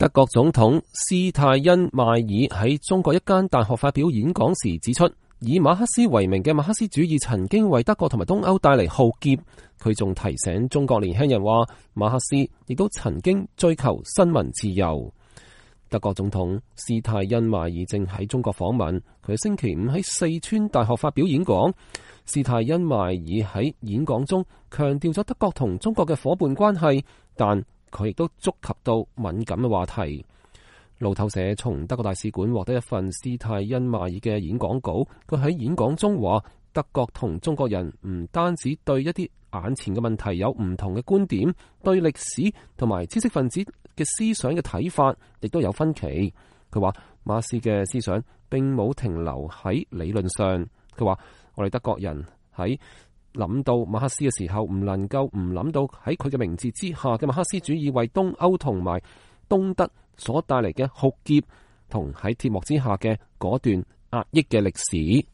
德國總統施泰因邁爾喺中國一間大學發表演講時指出，以馬克思為名嘅馬克思主義曾經為德國同埋東歐帶嚟浩劫。佢仲提醒中國年輕人話，馬克思亦都曾經追求新聞自由。德國總統施泰因邁爾正喺中國訪問，佢星期五喺四川大學發表演講。施泰因邁爾喺演講中強調咗德國同中國嘅伙伴關係，但佢亦都觸及到敏感嘅話題。路透社從德國大使館獲得一份施泰因邁爾嘅演講稿，佢喺演講中話，德國同中國人唔單止對一啲眼前嘅問題有唔同嘅觀點，對歷史同埋知識分子嘅思想嘅睇法亦都有分歧。佢話馬克思嘅思想並冇停留喺理論上。佢話我哋德國人喺諗到馬克思嘅時候，唔能夠唔諗到喺佢嘅名字之下嘅馬克思主義為東歐同埋東德所帶嚟嘅浩劫，同喺鐵幕之下嘅嗰段壓抑嘅歷史。